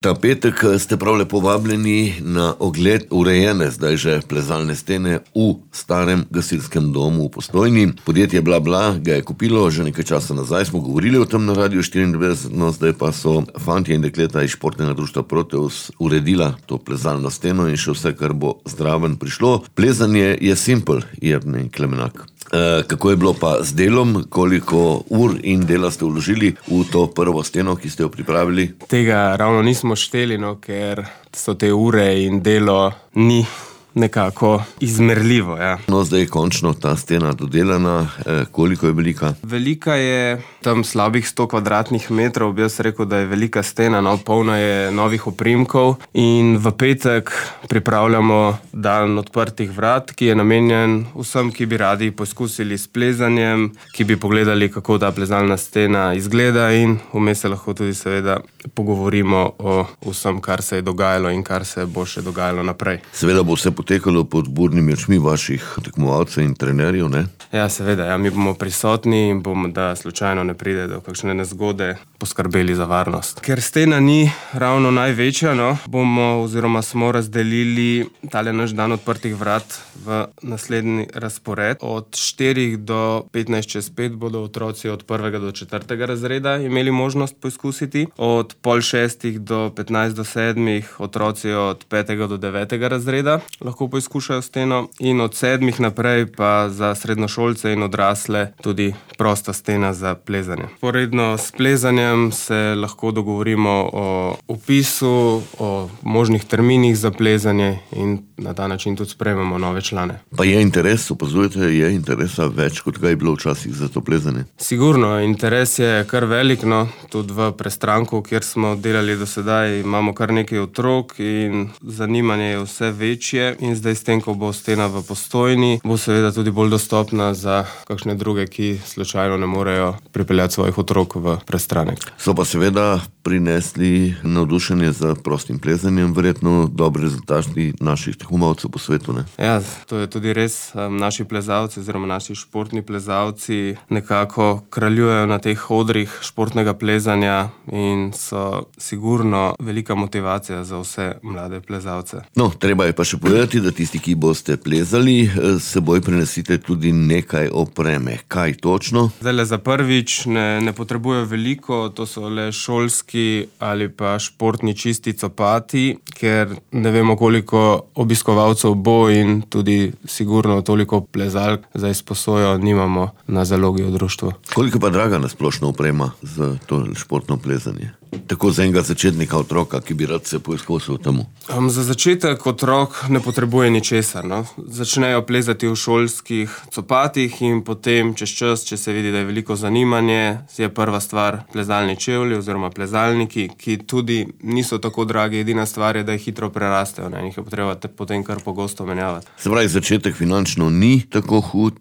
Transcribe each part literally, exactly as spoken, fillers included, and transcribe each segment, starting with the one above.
Ta petek ste prav lepo vabljeni na ogled urejene, zdaj že plezalne stene v starem gasilskem domu v Postojni. Podjetje Bla Bla ga je kupilo že nekaj časa nazaj, smo govorili o tem na Radiu štiriindevetdeset, no zdaj pa so fantje in dekleta iz športnega društva Proteus uredila to plezalno steno in še vse, kar bo zraven prišlo. Plezanje je simpel, Jernej Klemenak. E, kako je bilo pa z delom, koliko ur in dela ste vložili v to prvo steno, ki ste jo pripravili? Tega ravno nismo šteli, no, ker so te ure in delo ni nekako izmerljivo. Ja. No, zdaj je končno ta stena dodelana. E, koliko je velika? Velika je tam slabih sto kvadratnih metrov, bi jaz rekel, da je velika stena, no, polna je novih oprimkov in v petek pripravljamo dan odprtih vrat, ki je namenjen vsem, ki bi radi poskusili s plezanjem, ki bi pogledali, kako ta plezalna stena izgleda in vmes se lahko tudi seveda pogovorimo o vsem, kar se je dogajalo in kar se bo še dogajalo naprej. Seveda bo vse potekalo pod budnimi očmi vaših tekmovalcev in trenerjev, ne? Ja, seveda, ja, mi bomo prisotni in bomo, da slučajno ne pride do kakšne nezgode, poskrbeli za varnost. Ker stena ni ravno največja, no, bomo oziroma smo razdelili tale naš dan odprtih vrat v naslednji razpored. Od štirih do petnajst čez pet bodo otroci od prvega do četrtega razreda imeli možnost poizkusiti. Od pol šestih do petnajst do sedmih otroci od petega do devetega razreda lahko poizkušajo steno in od sedmih naprej pa za srednjošolce in odrasle tudi prosta stena za plezanje. Poredno s plezanjem se lahko dogovorimo o vpisu, o možnih terminih za plezanje in na ta način tudi sprejmemo nove člane. Pa je interes, opazujete, je interesa več, kot ga je bilo včasih za to plezanje? Sigurno, interes je kar velik, no, tudi v Prestranku, kjer smo delali do sedaj, imamo kar nekaj otrok in zanimanje je vse večje in zdaj s tem, ko bo stena v Postojni, bo seveda tudi bolj dostopna za kakšne druge, ki slučajno ne morejo pripeljati svojih otrok v Prestranek. So pa seveda prinesli navdušenje za prostim plezanjem, verjetno dobri rezultati naših tekmovalcev po svetu, ne? Ja, to je tudi res. Naši plezalci oziroma naši športni plezalci nekako kraljujejo na teh odrih športnega plezanja in so sigurno velika motivacija za vse mlade plezalce. No, treba je pa še povedati, da tisti, ki boste plezali, s seboj prinesite tudi nekaj opreme. Kaj točno? Zdajle za prvič ne, ne potrebujejo veliko, to so le šolski ali pa športni čisti copati, ker ne vemo, koliko obiskovalcev bo in tudi sigurno toliko plezalk za izposojo nimamo na zalogi v društvu. Koliko pa draga nasplošno oprema za to športno plezanje? Tako za enega začetnika otroka, ki bi rad se poizkusil temu? Um, za začetek otrok ne potrebuje ničesar, no. Začnejo plezati v šolskih copatih in potem čez čas, če se vidi, da je veliko zanimanje, je prva stvar plezalni čevlji oziroma plezalniki, ki tudi niso tako dragi, edina stvar je, da jih hitro prerastejo, ne, in jih je potreba potem kar pogosto menjavati. Se pravi, začetek finančno ni tako hud,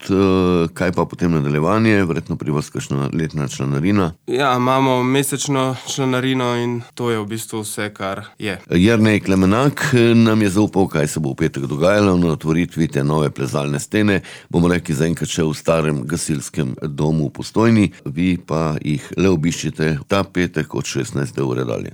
kaj pa potem nadaljevanje, verjetno pri vas kakšna letna članarina? Ja, imamo mesečno članarino in to je v bistvu vse, kar je. Jernej Klemenak nam je zaupal, kaj se bo v petek dogajalo na otvoritvi te nove plezalne stene. Bomo rekli zaenkrat še v starem gasilskem domu v Postojni, vi pa jih le obiščite ta petek od šestnajste ure dalje.